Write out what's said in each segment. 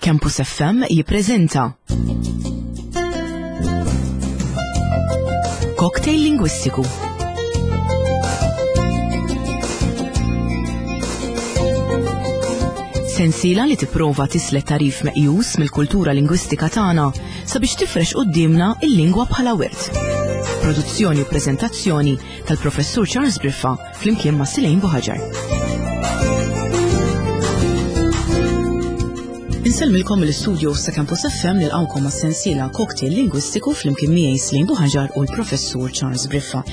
Campus FM jippreżenta Cocktail Lingwistiku. Sensiela li tipprova tislet tarif meqjus mill-kultura lingwistika tagħna sabiex tifrex quddiemna il-lingwa bħala wirt. Produzzjoni u preżentazzjoni tal-Professur Charles Briffa flimkien ma' Silejn Buħaġar. Insellmilkom mill-istudio sa' Campus FM nilqawkom ma' sensiela cocktail lingwistiku flimkien miegħi Slejn Buħaġar u l-Professur Charles Briffa.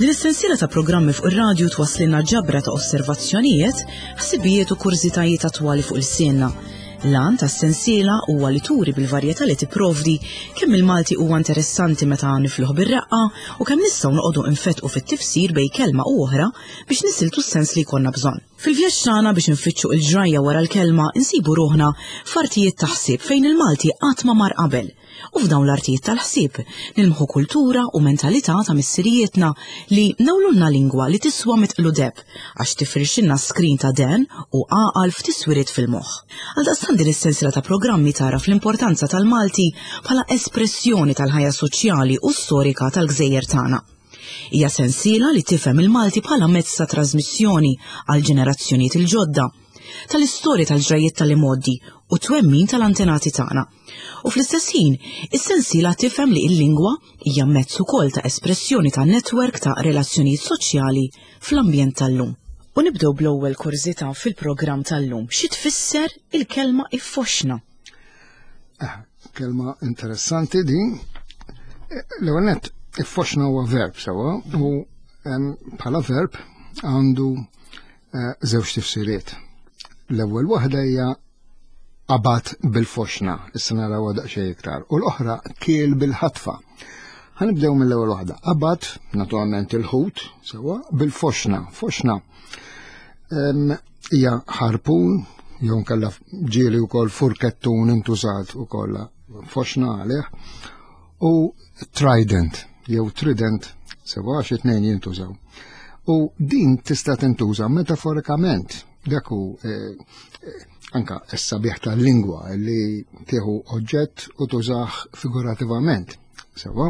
Din is-sensiela ta' programmi fuq ir-radju twasslilna ġabra ta' osservazzjonijiet, ħsibijiet u kurżitajiet attwali fuq il-sienna. L-għan tas-sensiela huwa li turi bil-varjetà li tipprovdi kemm il-Malti huwa interessanti meta nifluh bir-reqqa u kemm nistgħu noqogħdu nfettqu fit-tifsir bejn kelma u oħra biex nisiltu s-sens li jkollna bżonn. Fil-vjaġġ tagħna biex infittxu il-ġrajja wara l-kelma insibu ruħna f'artijiet ta' ħsieb fejn il-Malti qatt ma mar qabel. U f'dawn l-artijiet tal-ħsieb nilmħu kultura u mentalità ta' missirijietna li nawlulna lingwa li tiswa mitqlu deheb għax tifrixilna skrin ta' dehen u għaqal f'tiswiriet fil-moħħ. Għaldaqstant din is-sensiela ta' programmi tagħraf l-importanza tal-Malti bħala espressjoni tal-ħajja soċjali u storika tal-gżejjer tagħna. Hija sensiela li tifhem il-Malti bħala mezz ta' trażmissjoni għall-ġenerazzjonijiet il-ġodda, tal-istorja tal-ġrajjiet tal-imgħoddi u t-twemmin tal-antenati tagħna. U fl-istess ħin, is-sensiela tifhem li l-lingwa hija mezz ukoll ta' espressjoni ta' netwerk ta' relazzjonijiet soċjali fl-ambjent tal-lum. U nibdew bl-ewwel kurżità fil-programm tal-lum. Xi tfisser il-kelma iffoxna? Eh, kelma interessanti din. Eh, l-ewwel nett, iffoxna huwa verb sewwa u bħala verb għandu eh, żewġ tifsiriet. L-ewwel waħda hija qabad bil-foxna, issa narawha daqsxejn iktar, u l-oħra kiel bil-ħatfa. Ħanibdew mill-ewwel waħda. Qabad, naturalment il-ħut, sewwa, bil-foxna. Foxna hija ħarpun, jew nkella ġieli wkoll furkettun intużat ukoll foxna għalih, u trident, jew trident, sewwa għax it-tnejn jintużaw. U din tista' tintuża metaforikament Dak hu eh, eh, anka s-sabiħ tal-lingwa li tieħu oġġett u tużah figurativament. Sewa,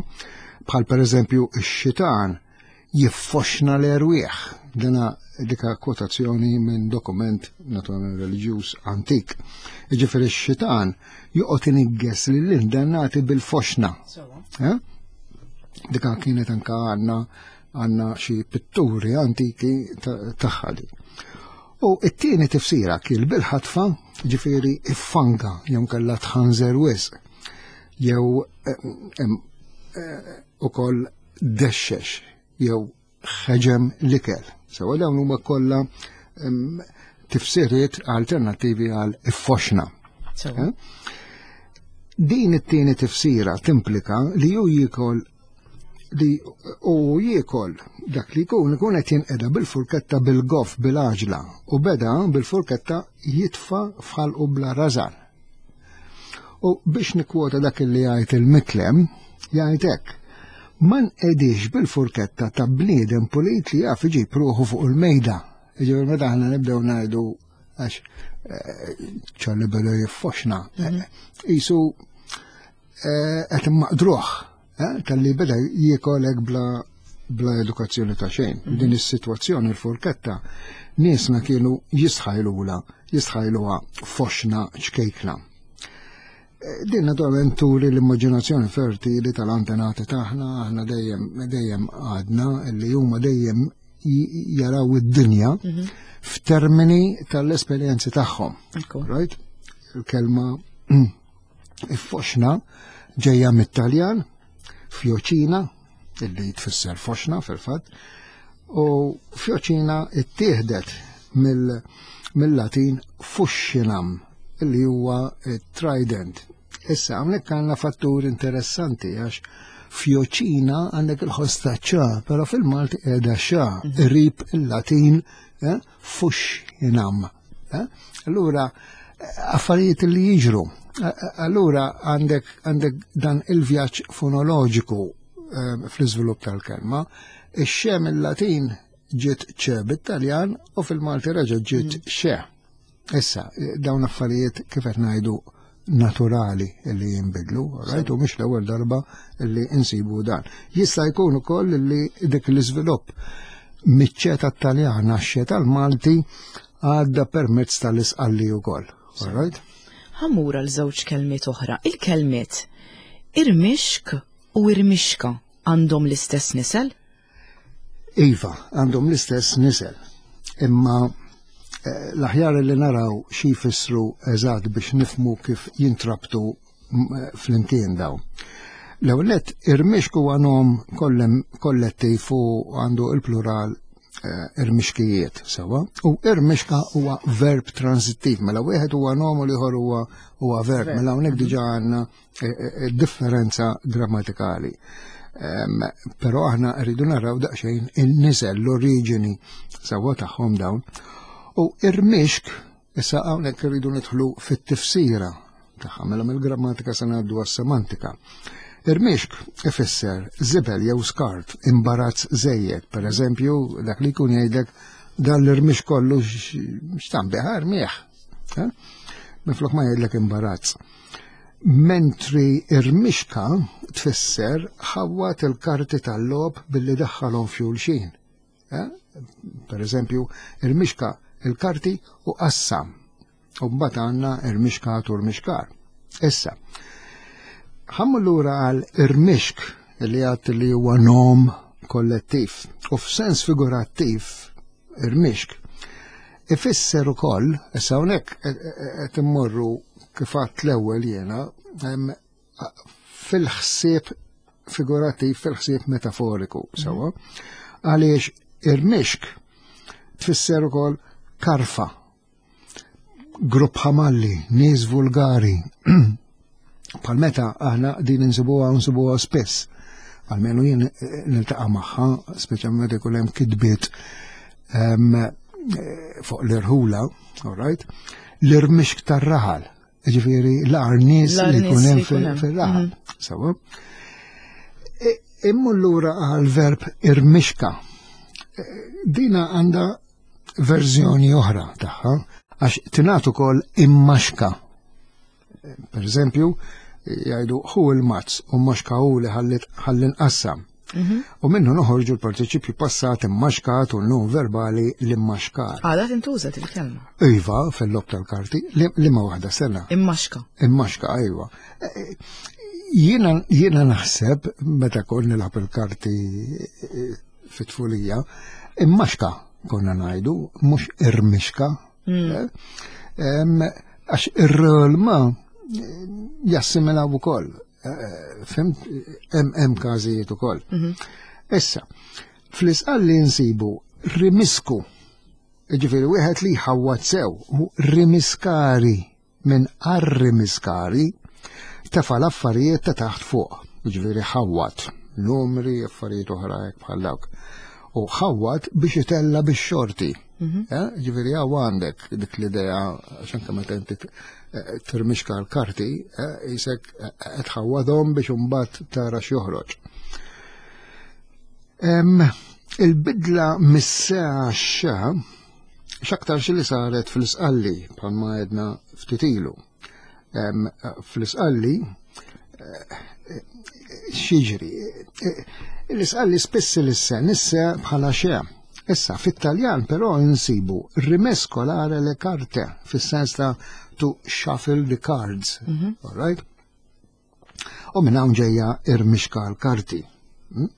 bħal pereżempju x-xitan jiffoxna l-erwieħ. Dina dika kwotazzjoni minn dokument naturalment reliġjuż antik. Jiġifieri x-xitan joqgħod inigges lill-indannati bil-foxna. Eh? Dika kienet anka għandna għandna xi pitturi antiki tagħha di. U it-tieni tifsira kien bil-ħatfa, ġifieri iffanga jew kellha tħanżer wisq jew eh, eh, ukoll dexxex jew ħeġem l-ikel. Sewa dawn huma kollha tifsiriet alternattivi għal iffoxna. Eh? Din it-tieni tifsira timplika li ju jikol li u jiekol dak li jkun ikun qed jinqeda bil-furketta bil-goff bil-għaġla u beda bil-furketta jitfa' f'ħalqu bla rażan. U biex nikkwota dak li jgħid il-mitlem, jgħid hekk. Ma nqedix bil-furketta ta' bniedem pulit li jaf iġib ruħu fuq il-mejda. Jiġifieri meta aħna nibdew ngħidu għax eh, ċarli beda jiffoxna. Mhm. Eh, isu eh, qed immaqdruh tal-li beda jiekolek bla bla edukazzjoni ta' xejn. Mhm. Din is-sitwazzjoni l-furketta niesna kienu jistħajlula, jistħajluha foxna ċkejkna. Eh, din naturalment turi l-immaġinazzjoni fertili tal-antenati tagħna, aħna dejjem dejjem għadna li huma dejjem jaraw id-dinja mhm. f'termini tal-esperjenzi tagħhom. Right? Il-kelma Foxna ġejja mit-Taljan, fjoċina, illi tfisser foxna fil-fatt, u fjoċina ittieħdet mill-Latin fuxxinam, illi huwa trident. Issa hawnhekk għandna fattur interessanti għax fjoċina għandek il-ħoss ta' ċa, però fil-Malti qiegħda xa, mhm. qrib il-Latin eh, fuxxinam. Eh? Allura, affarijiet li jiġru. Allura għandek għandek dan il-vjaġġ fonoloġiku eh, fl-iżvilupp tal-kelma. Ix-xe mill-Latin ġiet ċe bit-Taljan u fil-Malti reġa' ġiet mm. xe. Issa, dawn affarijiet kif qed ngħidu naturali li jinbidlu, right? U mhix l-ewwel darba li insibu dan. Jista' jkun ukoll li dik l-iżvilupp miċ-ċeta Taljan għax-ċeta l-Malti għadda permezz tal-isqalli wkoll. Right? Ħammur għal żewġ kelmiet oħra. Il-kelmiet irmixk u irmixka għandhom l-istess nisel? Iva, għandhom l-istess nisel. Imma eh, l-aħjar li naraw xi jfissru eżatt biex nifmu kif jintrabtu eh, flimkien daw. L-ewwel nett irmixk huwa nom kollettiv u għandu il-plural eh, irmixkijiet sewa u irmixka huwa verb transittiv mela wieħed huwa nom u l-ieħor huwa huwa verb mela hawnhekk diġà għandna Eh, eh, differenza grammatikali. Però aħna rridu naraw daqsxejn in-nisel, l-oriġini sewwa tagħhom dawn. U irmixk, issa hawnhekk irridu nidħlu fit-tifsira tagħha, mela mill-grammatika se ngħaddu għas-semantika. Irmixk ifisser żibel jew skart, imbarazz żejjed, per eżempju, dak li jkun jgħidlek dan l-irmix kollu x'tambiħ irmieħ. Eh? Minflok ma jgħidlek imbarazz. Mentri irmixka tfisser ħawwat il-karti tal-logħob billi daħħalhom f'xulxin. Eh? Per eżempju, irmixka il-karti u qassam. U mbagħad għandna irmixkat u rmixkar. Issa, ħammu lura għal irmixk li għat li huwa nom kollettiv u f'sens figurattiv irmixk Ifisser ukoll, issa hawnhekk qed immorru kif għadt l-ewwel jiena fil-ħsieb figurattiv, fil-ħsieb metaforiku, sewwa. Għaliex irmixk tfisser ukoll karfa, grupp ħamalli, nies vulgari. Bħal meta aħna din insibuha nsibuha spiss. Almenu jien eh, niltaqa' magħha, speċjalment meta jkun hemm kitbiet ehm, eh, fuq l-irħula, all right? L-irmixk tar-raħal, ġifieri l-ar nies li jkun hemm fir-raħal. Mhm. Sawa. E, immu lura għal-verb irmixka. E, dina għandha verżjoni oħra tagħha għax tingħad ukoll immaxka. Per eżempju, jgħidu hu il-mazz u maxka hu li ħalli nqassam. Mhm. U minnu noħorġu l-partiċipju passat immaxkat u l-nun verbali l-immaxkar. Għada tintuża il-kelma. Iva, fil-lob tal-karti, li ma waħda sena. Immaxka. Immaxka, iva. E, e, jiena naħseb, meta kon nilgħab il-karti e, fit-tfulija, immaxka konna ngħidu, mhux irmixka. Mm. Għax ir-rölma jassimilaw ukoll. Eh, fimt, hemm każijiet ukoll. Mhm. Issa, fl-isqalli nsibu rimisku, ġifieri wieħed li jħawwad sew, u rimiskari minn arrimiskari tefa' l-affarijiet ta' taħt fuq, jiġifieri ħawwad, numri, affarijiet oħra hekk bħal dawk. U ħawwad biex itella bix-xorti. Mhm. Eh, ġifieri hawn għandek dik l-idea għax anke meta inti eh, tirmixka l-karti, eh, jisek qed ħawwadhom biex imbagħad tara x'joħroġ. Il-bidla mis-sena xa X'aktarx li saret fl-Isqalli bħalma għedna ftit ilu. Fl-Isqalli eh, xiġri. Eh, L-Isqalli spiss l-isse nisse bħala xe. Issa, fit-Taljan però insibu rimescolare le carte, fis-sens ta' to shuffle the cards. Mm -hmm. All right? U minn hawn ġejja irmixka l-karti. Hmm?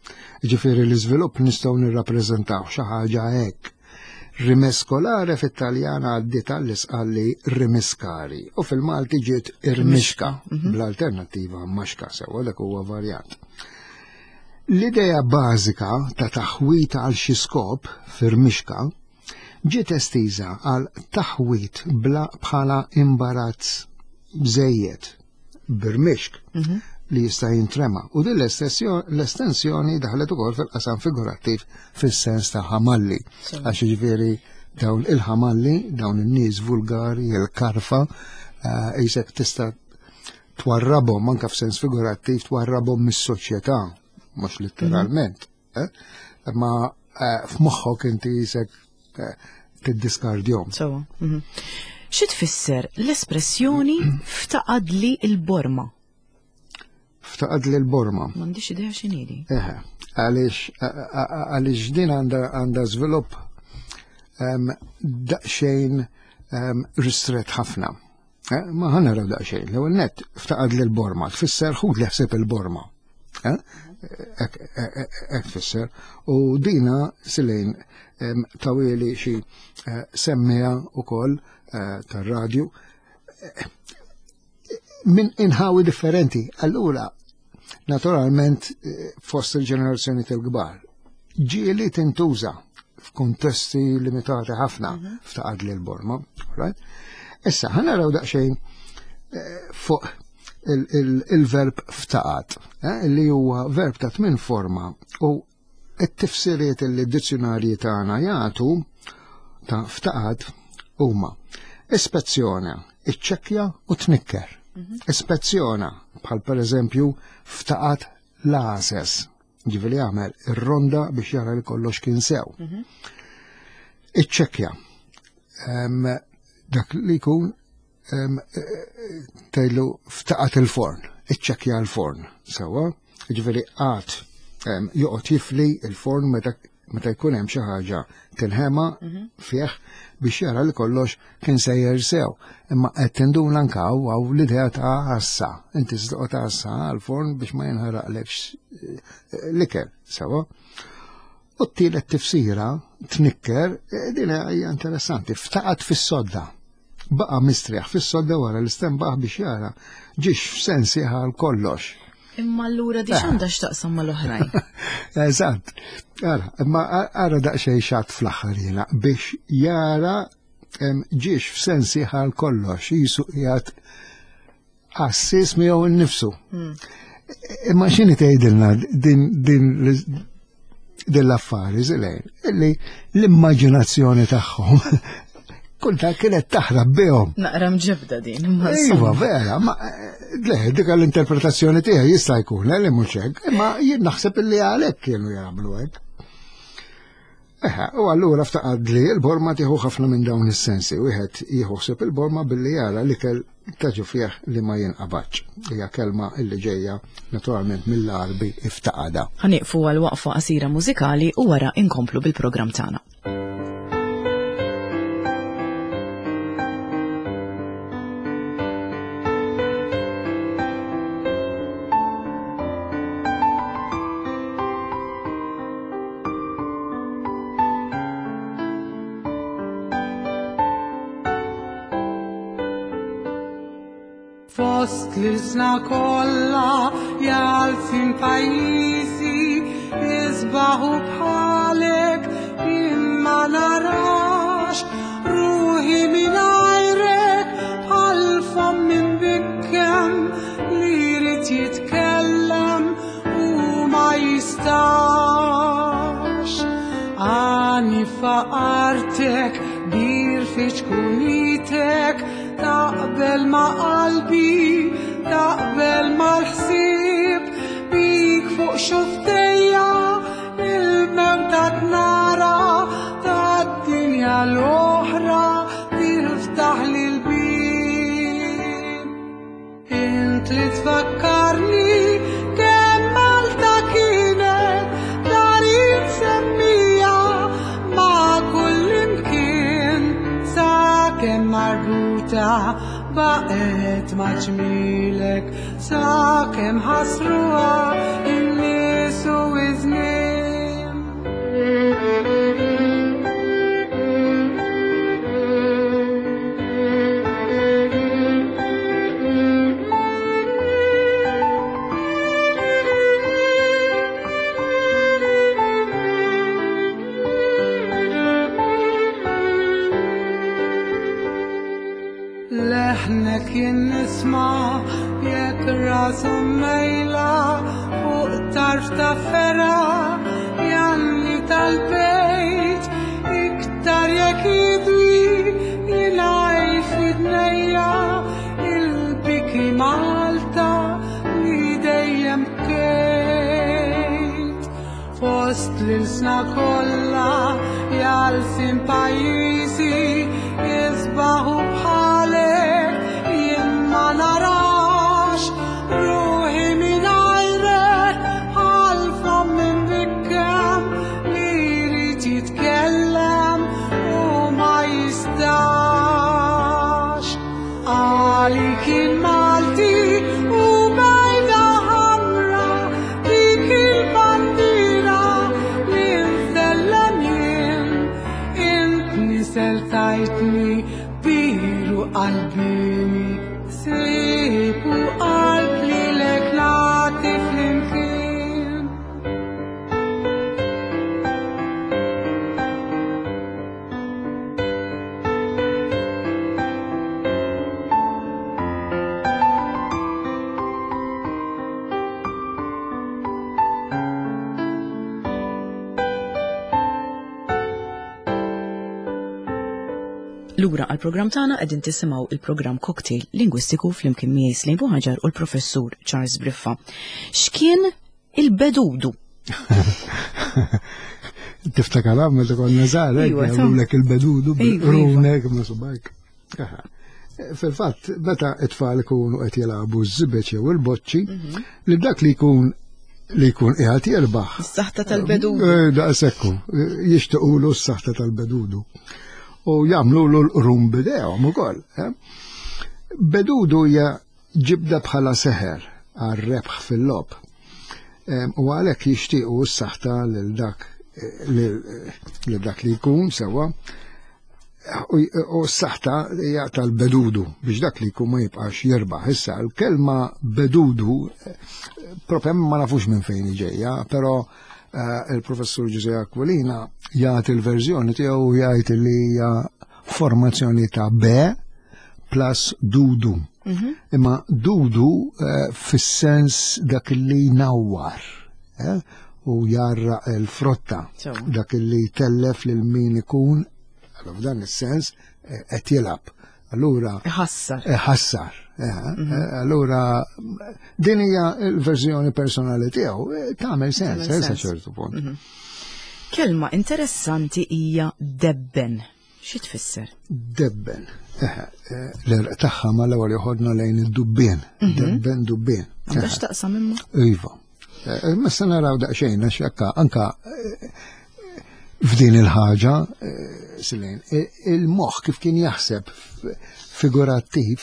Ġifieri l-iżvilupp nistgħu nirrappreżentaw xi ħaġa hekk. Rimescolare fit-Taljan għaddiet għall-isqalli rimiskari u fil-Malti ġiet irmixka mhm. bl-alternattiva maxka sewa dak huwa varjant. L-idea bażika ta' taħwit għal xi skop firmixka ġiet estiża għal taħwit bla bħala imbarazz bżejjed birmixk mhm. li jista' jintrema. U din l-estensjoni daħlet ukoll fil-qasam figurattiv fis-sens ta' ħamalli. Għax jiġifieri dawn il-ħamalli, dawn in-nies vulgari, il-karfa, eh, jisek tista' twarrabhom anke f'sens figurattiv twarrabhom mis-soċjetà, mhux letteralment. Mhm. Eh? Ma eh, f'moħħok inti jisek tiddiskardjhom. Mhm. Xi tfisser l-espressjoni ftaqadli l-borma? Ftaqadli l-borma. M'għandix idea x'inhi. Eħe, għaliex għaliex din għandha żvilupp daqsxejn ristret ħafna. Eh, ma ħa naraw daqsxejn. L-ewwel nett ftaqad li l-borma, tfisser ħud li ħsieb il-borma. Eh? Hekk tfisser. U dina silejn tawili xi eh, semmija ukoll tar-radju minn inħawi differenti. Allura, naturalment fost il-ġenerazzjoni tal-kbar, ġieli tintuża f'kuntesti limitati ħafna mhm. ftaqad li l-borma. Right? Issa, ħa naraw daqsxejn eh, fuq il-verb ftaqad, eh, li huwa verb ta' tmien forma u it-tifsiriet li d-dizzjonarji tagħna jagħtu ta' ftaqad huma ispezzjona, iċċekkja u tnikker. Mhm. Ispezzjona, bħal pereżempju ftaqad l-għases, ġifieri għamel ir-ronda biex jara li kollox kien sew. Mhm. Iċċekkja. Dak li jkun tgħidlu ftaqat il-forn, iċċekkja l-forn, sewwa, ġifieri għad joqgħod jifli il-forn meta meta jkun hemm xi ħaġa tinħema mhm. fih biex jara li kollox kien sejjer sew. Imma qed tinduna anke hawn l-idea ta' għassa. Inti toqgħod għassa għall-forn biex ma jinħaraqlekx eh, l-ikel, sewa. U t-tielet tifsira tnikker, eh, din hija interessanti, ftaqat fis-sodda. Baqa' mistrieħ fis-sodda wara li stenbaħ biex jara ġiex f'sensi għal kollox. Imma allura di x'għandha x'taqsam mal-oħrajn? Eżatt. Ara, imma ara daqsxejn xatt fl-aħħar jiena biex jara ġiex f'sensi għal kollox, jisu qiegħed għassis miegħu nnifsu. Hmm. Imma x'inhi tgħidilna din din din l-affari zilejn, illi l-immaġinazzjoni tagħhom kulta kienet taħrab bihom. Naqra mġibda din. Iva, vera, ma le, dik l-interpretazzjoni tiegħi jista' jkun eh, li mhux hekk, imma jien naħseb illi għalhekk kienu jagħmlu hekk. Eħe, u allura ftaqad li l-borma tieħu ħafna minn dawn is-sensi. Wieħed jieħu ħsieb il-borma billi jara l-ikel ta' ġo fih li ma jinqabadx. Hija kelma illi ġejja naturalment mill-Għarbi iftaqada. Ħa nieqfu għal waqfa qasira mużikali u wara inkomplu bil-programm tagħna. Fost l-sna kollha jalfin pajjiżi isbaħu bħalek imma narax ruħi mingħajrek bħal fomm imbikkem li jrid jitkellem u ma jistax. Għani faqartek, bir fiċkunitek, taqbel ma qalbi, taqbel mal-ħsieb, bik fuq xuftejja, il-mewta tnara, tad-dinja l-oħra, tiftaħ li l-bib. Int li tfakkarni kemm Malta kienet dari msemmija ma' kull imkien sakemm marbuta baqgħet ma' ġmielek sakemm ħasruha in-nies u iż-żmien. Leħnek jien nisma' jekk rasu mejla fuq tarf ta' fera janni tal-bejt iktar jekk jidwi jingħaj f'idnejja il-biki Malta li dejjem bkejt. Fost l-ilsna kollha. Għal sin pajjiżi isbaħu bħalek jien ma narax ruħi mingħajrek għal fomm imbikkem li jrid jitkellem u ma jistax. Għali kien Malti u bejda ħamra dik il-bandiera li nsellem jien. Int nisel tajtni biru qalbini, sib u qalb lilek nagħti flimkien. Lura għal-programm tagħna qegħdin tisimgħu il-programm Cocktail Lingwistiku flimkien miegħi Slejn Buħaġar u l-Professur Charles Briffa. X'kien il-bedudu? Tiftakar meta konna żgħar, jagħmlulek il-bedudu bil-qrunek ma' subajk. Fil-fatt, meta it-tfal ikunu qed jilagħbu ż-żibeġ jew il-boċċi, li dak li jkun li jkun qiegħed jirbaħ. Is-saħta tal-bedudu. Daqshekk jixtiequlu s-saħta tal-bedudu. U jagħmlulu l-qrum bidejhom ukoll. Bedudu hija ġibda bħala seħer għar-rebħ fil-logħob. U għalhekk jixtiequ s-saħta lil dak lil dak li jkun sewwa. U s-saħta hija tal-bedudu biex dak li jkun ma jibqax jirbaħ. Issa l-kelma bedudu propja ma nafux minn fejn ġejja, però il-professur Ġużè Aquilina jagħti l-verżjoni tiegħu jgħid li hija formazzjoni ta' B plus dudu. Imma dudu fis-sens dak li jnawwar, u jarra l-frotta, dak li jtellef lil min ikun, allora f'dan is-sens qed jilgħab. Allura Iħassar. Iħassar. Allura din hija l-verżjoni personali tiegħu, tagħmel sens, Tagħmel sa sens. ċertu punt. Kelma interessanti hija debben. Xi tfisser? Debben. L-erq tagħha mal-ewwel joħodna lejn id-dubbien. Debben, dubbien. Għandha x'taqsam imma? Iva. Ma se naraw daqsxejn għax hekk anka f'din il-ħaġa, Silejn, il-moħħ kif kien jaħseb figurattiv,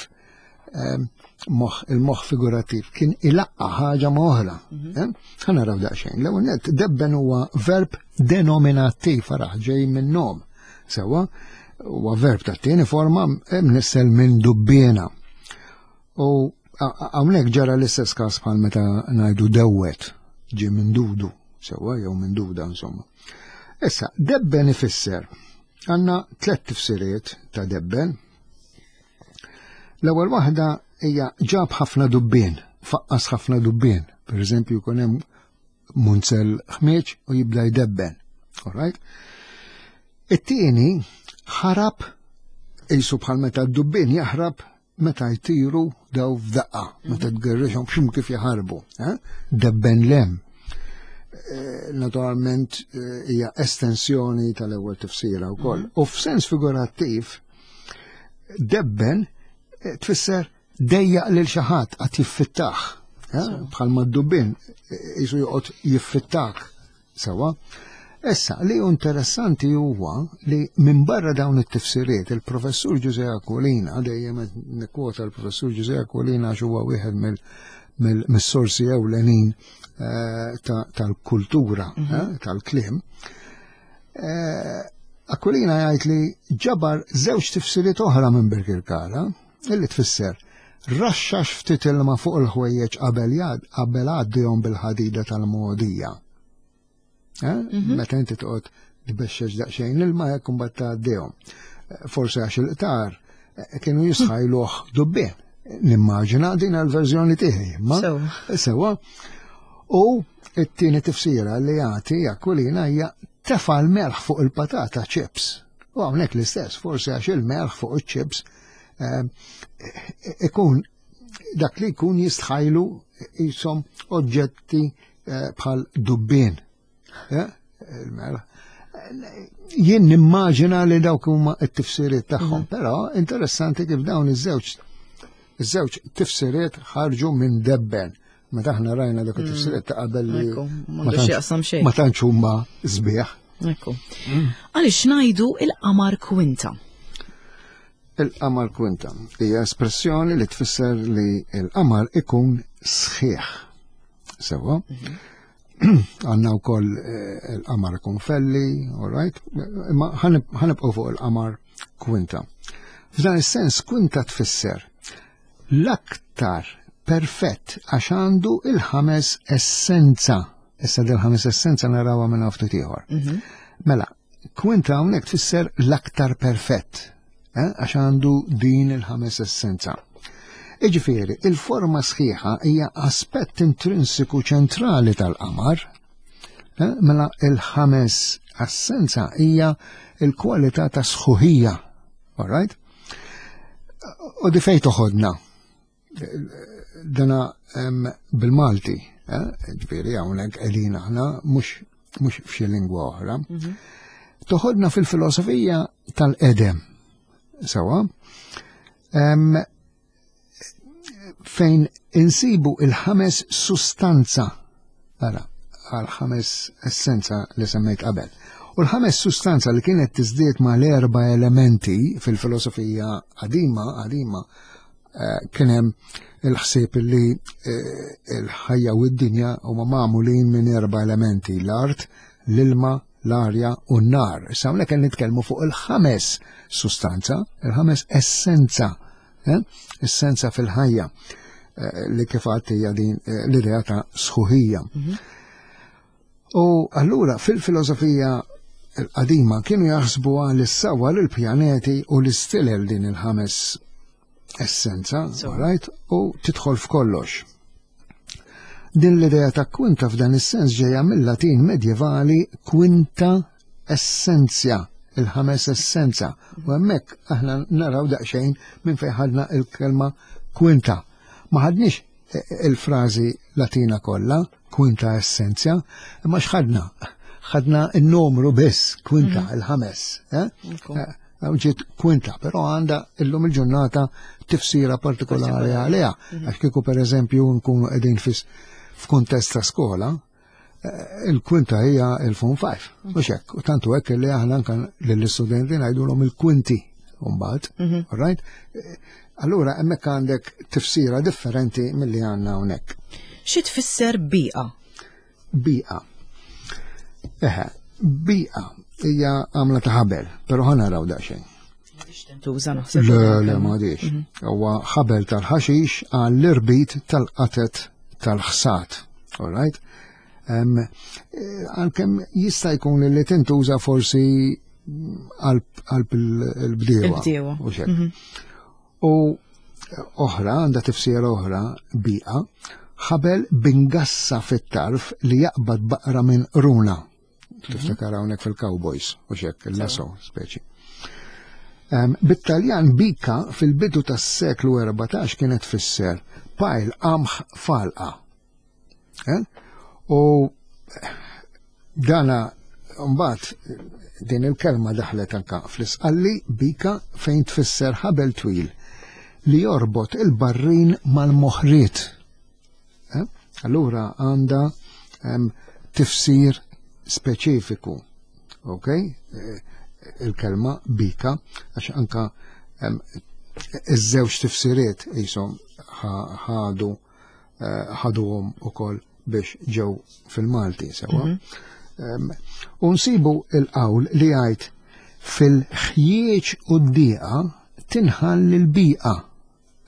il-moħħ figurattiv kien ilaqqa ħaġa ma' oħra. Ħa naraw daqsxejn. L-ewwel nett, debben huwa verb denominattiv, araħ ġej minn nom. Sewwa, huwa verb tat-tieni forma mnissel minn dubbiena. U hawnhekk ġara l-istess każ bħal meta ngħidu dewwet, ġie minn dudu, sewwa jew minn duda insomma. Issa, debben ifisser għandna tliet tifsiriet ta' debben. L-ewwel waħda hija ġab ħafna dubbien, faqqas ħafna dubbien. Per eżempju, jkun hemm munzel ħmieġ u jibda jdebben. All right? It-tieni ħarab qisu bħal meta d-dubbien jaħrab meta jtiru daw f'daqqa, meta tgerrixhom x'im kif jaħarbu. Debben lem. Naturalment hija estensjoni tal-ewwel tifsira wkoll. U f'sens figurattiv, debben tfisser dejjaq lil xi ħadd qatt jiffittaħ. Bħal mad-dubbien jisu joqgħod jiffittak sewwa. Issa, li hu interessanti huwa li minn barra dawn it-tifsiriet, il-professur Ġużè Aquilina, dejjem qed nikkwota l-professur Ġużè Aquilina għax huwa wieħed mis-sorsi ewlenin tal-kultura, tal-kliem. Aquilina jgħid li ġabar żewġ tifsiriet oħra minn Birkirkara, illi tfisser raxxax ftit ilma fuq il-ħwejjeġ qabel għaddihom bil-ħadida tal-mogħdija. Meta inti toqgħod tbexxex daqsxejn ilma hekk imbagħad tgħaddihom. Forsi għax il-qtar kienu jisħajluh dubbien. Nimmaġina din għall-verżjoni tiegħi, imma sewwa. U t-tieni tifsira li jagħti Aquilina hija tefa' l-melħ fuq il-patata chips. U hawnhekk l-istess, forsi għax il-melħ fuq iċ-chips ikun dak li jkun jistħajlu jisom oġġetti bħal dubbien. Il-melħ. Jien nimmaġina li dawk huma t-tifsiriet tagħhom, però interessanti kif dawn iż-żewġ iż-żewġ tifsiriet ħarġu minn debben. Meta aħna rajna dak it-tifsiriet ta' qabel li ma tantx huma sbieħ. Ekku. Għaliex ngħidu il-qamar kwinta? Il-qamar kwinta hija espressjoni li tfisser li l-qamar ikun sħiħ. Sewa. Mhm. Għanna wkoll eh, il-qamar ikun felli, all right? Imma ħanibqgħu fuq il-qamar kwinta. F'dan is-sens kwinta tfisser l-aktar perfett għax għandu il-ħames essenza. Issa dil-ħames essenza narawha minn ftit ieħor. Mhm. Mela, kwinta hawnhekk tfisser l-aktar perfett, eh, għax għandu din il-ħames essenza. Iġifieri, il-forma sħiħa hija aspett intrinsiku ċentrali tal-qamar. Eh, mela il-ħames essenza hija il-kwalità ta' sħuħija. All right? U di fej toħodna? Dana bil-Malti, eh, ġifieri hawnhekk qegħdin aħna mhux f'xi lingwa oħra. Mhm. Toħodna fil-filosofija tal-qedem. Sewa. Fejn insibu il-ħames sustanza. Ara, għal-ħames essenza li semmejt qabel. U l-ħames sustanza li kienet tiżdied ma l-erba elementi fil-filosofija qadima, qadima, eh, kien hemm il-ħsieb li eh, il-ħajja u d-dinja huma magħmulin minn erba elementi, l-art, l-ilma, l-arja u n-nar. Issa hawnhekk qed nitkellmu fuq il-ħames sustanza, il-ħames essenza eh? essenza fil-ħajja eh, li kif għadt hija din eh, l-idea ta' sħuħija. Mhm. U allura fil-filosofija l-qadima kienu jaħsbu għal is-sawa l-pjaneti u l-istilel din il-ħames essenza, right? U tidħol f'kollox. Din l-idea ta' kwinta f'dan is-sens ġejja mill-Latin medjevali quinta essentia, il-ħames essenza. U hemmhekk aħna naraw daqsxejn minn fejn ħadna il-kelma kwinta. Ma ħadniex il-frażi Latina kollha, quinta essentia, imma x'ħadna? Ħadna n-numru biss, kwinta, mhm. il-ħames. Eh? eh ġiet kwinta, però għandha illum il-ġurnata tifsira partikolari għaliha. Mhm. Għax kieku pereżempju nkunu qegħdin f'kuntest ta' skola, eh, il-kwinta hija il-fon 5. Mhux hekk, u tantu hekk li aħna anke lill-istudenti ngħidulhom il-kwinti mbagħad, mhm. right? Eh, allura hemmhekk għandek tifsira differenti milli għandna hawnhekk. Xi tfisser biqa? Biqa. Eħe, biqa hija għamla ta' ħabel, però ħa naraw daqsxejn. Tuża naħseb. Le, le, ma għadix. Mhm. Huwa ħabel tal-ħaxix għall-irbit tal-qatet tal-ħsat. All right? Eh, għalkemm jista' jkun li tintuża forsi qalb il-bdiewa. Il-bdiewa. Mhm. U oħra, għandha tifsira oħra, biqa, ħabel bingassa fit-tarf li jaqbad baqra minn runa. Tiftakar hawnhekk fil-Cowboys u xek, il-lasso speċi. Bit-Taljan bika fil-bidu tas-seklu 14 kienet tfisser pajl qamħ falqa. Eh? U dana mbagħad din il-kelma daħlet anka fl-isqalli bika fejn tfisser ħabel twil li jorbot il-barrin mal-moħriet. Eh? Allura għandha tifsir speċifiku. Ok? Eh, il-kelma bika, għax anka iż-żewġ tifsiriet jisom ħadu eh, ħaduhom ukoll biex ġew fil-Malti sewa. Mhm. U nsibu il-qawl li jgħid fil-ħjieġ u d-dieqa tinħall il-biqa.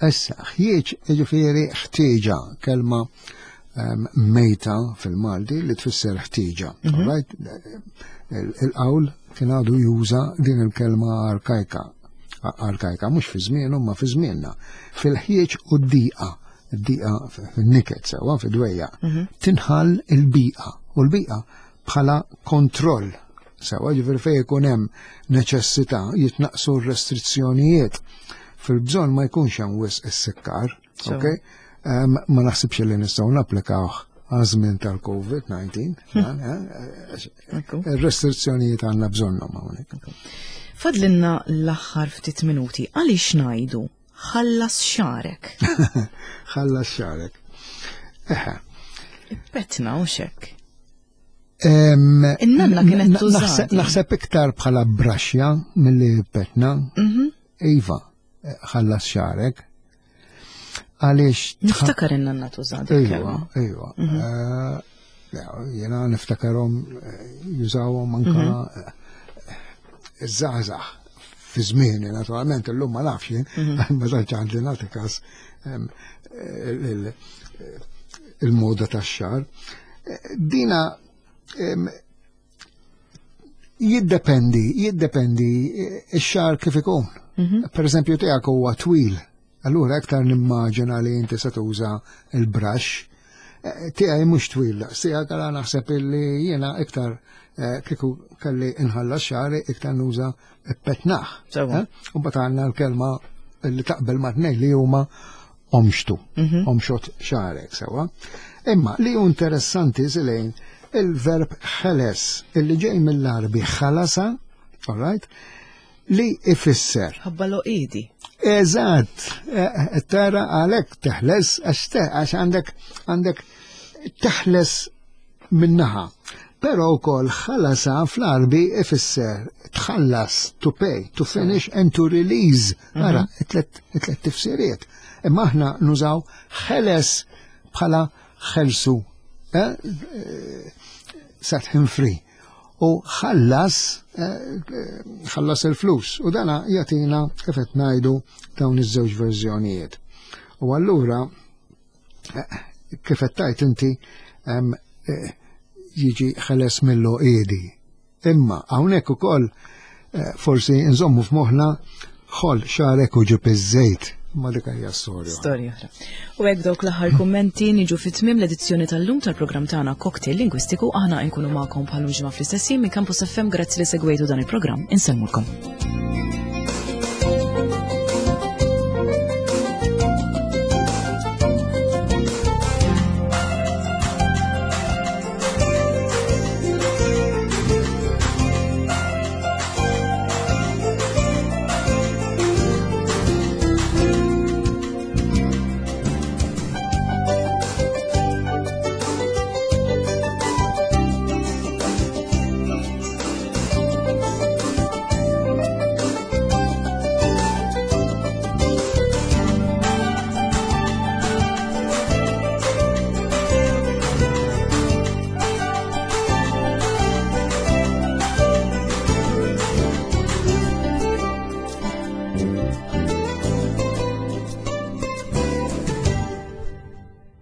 Issa, ħjieġ jiġifieri ħtieġa, kelma ehm, mejta fil-Malti li tfisser ħtieġa. Mhm. Right? Il-qawl kien għadu juża din il-kelma arkajka. Arkajka mhux fi żmienu ma fi żmienna. Fil-ħjieġ u d-diqa, d-diqa fin-niket sewwa fid-dwejja, mhm. tinħall il-biqa u l-biqa bħala kontroll Sewa ġifieri fejn ikun hemm neċessità jitnaqsu r-restrizzjonijiet. Fil-bżonn ma jkunx hemm wisq is-sikkar, ok? Ma naħsibx li nistgħu napplikawh għaż-żmien tal-COVID-19, il-restrizzjonijiet għandna bżonnhom hawnhekk. Fadlinna l-aħħar ftit minuti, għaliex ngħidu ħallas xarek? Ħallas xarek. Eħe. Petna u xek. In-nanna kienet tuża. Naħseb iktar bħala braxja milli petna. Mhm. Iva, ħallas xarek. Għaliex. Niftakar in-nanna tuża. Iva, iva. Mhm. Eh, jena niftakarhom eh, jużawhom anka mhm. eh, iż-żgħażagħ fi żmieni naturalment illum ma nafx jien, ma tantx għandi nagħti każ il-moda tax-xar. Dina jiddependi, jiddependi ix-xar kif ikun. Mhm. Per eżempju tiegħek huwa twil, allura iktar nimmaġina li inti se tuża il-brush. Eh, tiegħi mhux twil, tiegħek għala naħseb illi jiena iktar eh, kieku kelli inħallas xari iktar nuża petnaħ. Eh? U mbagħad għandna l-kelma li taqbel ma' tnejn li huma omxtu, mhm. omxot xarek sewa. Imma li hu interessanti zilejn il-verb ħeles illi ġej mill-Arbi ħalasa, all right, li ifisser. Ħabba loqidi. Eżatt, e, e, tara għalek teħles għax għandek għandek teħles minnaħa. Però wkoll ħalasa fl-Arbi ifisser tħallas, to pay, to finish and to release. Mhm. Ara, it-tlet tifsiriet. Imma aħna nużaw ħeles bħala ħelsu. Eh, eh, set him free. U ħallas, eh, ħallas il-flus. U dana jatina kif qed ngħidu dawn iż-żewġ verżjonijiet. U allura kif qed tgħid inti eh, jiġi ħeles mill-oqiedi. Imma hawnhekk ukoll eh, forsi nżommu f'moħħna ħol xarek u ġib iż-żejt. Ma dik hija storja. Storja oħra. U hekk dawk l-aħħar kummenti niġu fit-tmiem l-edizzjoni tal-lum tal-programm tagħna Cocktail Lingwistiku aħna nkunu magħkom bħal ġimgħa fl-istess minn Campus FM grazzi li segwejtu dan il-programm. Insellmulkom.